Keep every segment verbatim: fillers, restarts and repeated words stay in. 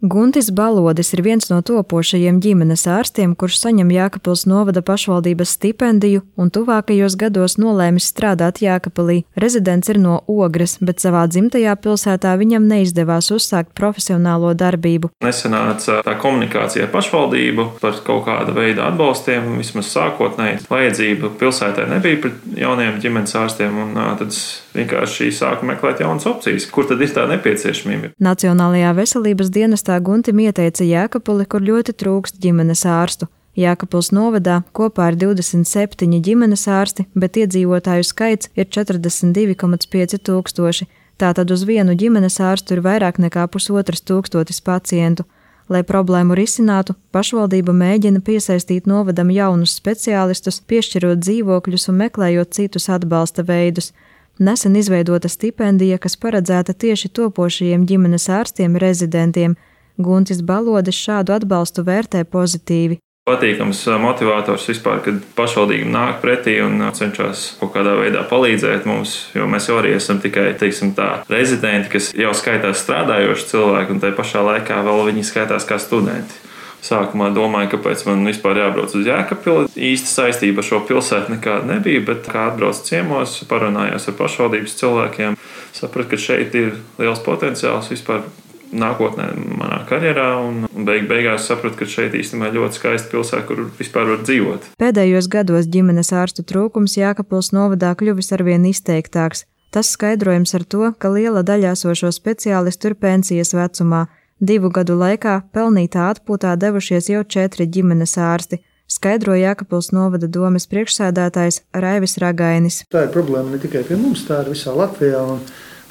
Guntis Balodis ir viens no topošajiem ģimenes ārstiem, kurš saņem Jēkabpils novada pašvaldības stipendiju un tuvākajos gados nolēmis strādāt Jēkabpilī. Rezidents ir no Ogres, bet savā dzimtajā pilsētā viņam neizdevās uzsākt profesionālo darbību. Nesanāca tā komunikācija ar pašvaldību par kaut kāda veida atbalstiem, vismaz sākotnēji vajadzība pilsētā nebija pret jauniem ģimenes ārstiem, un tad vienkārši sāku meklēt jaunas opcijas, kur tad ir tā nepieciešamība. Nacionālajā veselības dienestā Guntim ieteica Jēkabpili, kur ļoti trūkst ģimenes ārstu. Jēkabpils novadā kopā ir divdesmit septiņi ģimenes ārsti, bet iedzīvotāju skaits ir četrdesmit divi komats pieci tūkstoši. Tātad uz vienu ģimenes ārstu ir vairāk nekā pusotras tūkstotis pacientu. Lai problēmu risinātu, pašvaldība mēģina piesaistīt novadam jaunus speciālistus, piešķirot dzīvokļus un meklējot citus atbalsta veidus. Nesen izveidota stipendija, kas paredzēta tieši topošajiem ģimenes ārstiem rezidentiem. Guntis Balodis šādu atbalstu vērtē pozitīvi. Patīkams motivators vispār, kad pašvaldība nāk pretī un cenšas kaut kādā veidā palīdzēt mums, jo mēs jau arī esam tikai, teiksim tā, rezidenti, kas jau skaitās strādājoši cilvēki, un tai pašā laikā vēl viņi skaitās kā studenti. Sākumā domāju, kāpēc man vispār jābrauc uz Jēkabpili. Īsta saistība ar šo pilsētu nekāda nebija, bet kā atbrauc ciemos, parunājos ar pašvaldības cilvēkiem, sapratu, ka šeit ir liels potenciāls vispār nākotnē manā karjerā, un beig beigās sapratu, ka šeit īstenībā ļoti skaista pilsēta, kur vispār var dzīvot. Pēdējos gados ģimenes ārstu trūkums Jēkabpils novadā kļuvis arvien izteiktāks. Tas skaidrojams ar to, ka liela daļa esošo speciālistu ir pensijas vecumā. Divu gadu laikā pelnītā atpūtā devušies jau četri ģimenes ārsti, skaidroja Jēkabpils novada domes priekšsēdētājs Raivis Ragainis. Tā ir problēma ne tikai pie mums, tā ir visā Latvijā. Un...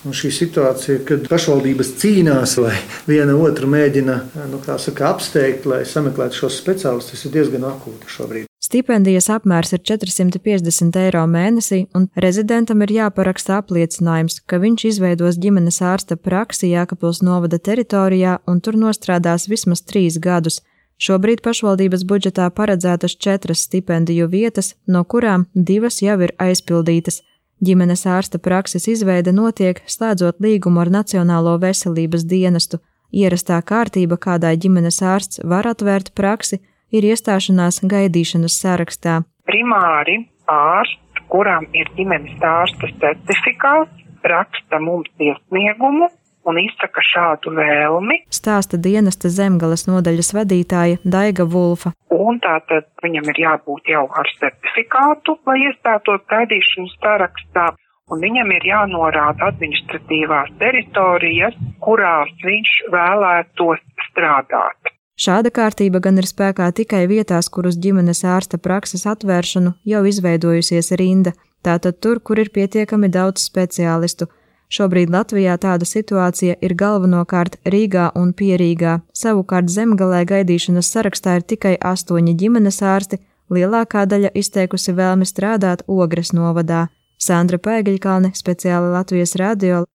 Un šī situācija, kad pašvaldības cīnās, lai viena otru mēģina, nu, kā saka, apsteigt, lai sameklētu šos speciālistus, ir diezgan akūta šobrīd. Stipendijas apmērs ir četri simti piecdesmit eiro mēnesī, un rezidentam ir jāparaksta apliecinājums, ka viņš izveidos ģimenes ārsta praksi Jēkabpils novada teritorijā un tur nostrādās vismaz trīs gadus. Šobrīd pašvaldības budžetā paredzētas četras stipendiju vietas, no kurām divas jau ir aizpildītas. Ģimenes ārsta prakses izveide notiek, slēdzot līgumu ar Nacionālo veselības dienestu. Ierastā kārtība, kādai ģimenes ārsts var atvērt praksi, ir iestāšanās gaidīšanas sarakstā. Primāri ārsts, kuram ir ģimenes ārsta certifikāts, raksta mums iesniegumu un izsaka šādu vēlmi. Stāsta dienesta Zemgales nodaļas vadītāja Daiga Vulfa. Un tātad viņam ir jābūt jau ar certifikātu, lai iestātos gaidīšanas sarakstā, un viņam ir jānorāda administratīvās teritorijas, kurās viņš vēlētos strādāt. Šāda kārtība gan ir spēkā tikai vietās, kur uz ģimenes ārsta prakses atvēršanu jau izveidojusies rinda, tātad tur, kur ir pietiekami daudz speciālistu. Šobrīd Latvijā tāda situācija ir galvenokārt Rīgā un Pierīgā, savukārt Zemgalē gaidīšanas sarakstā ir tikai astoņi ģimenes ārsti, lielākā daļa izteikusi vēlmi strādāt Ogres novadā. Sandra Pēgiļkalne, speciāli Latvijas radio.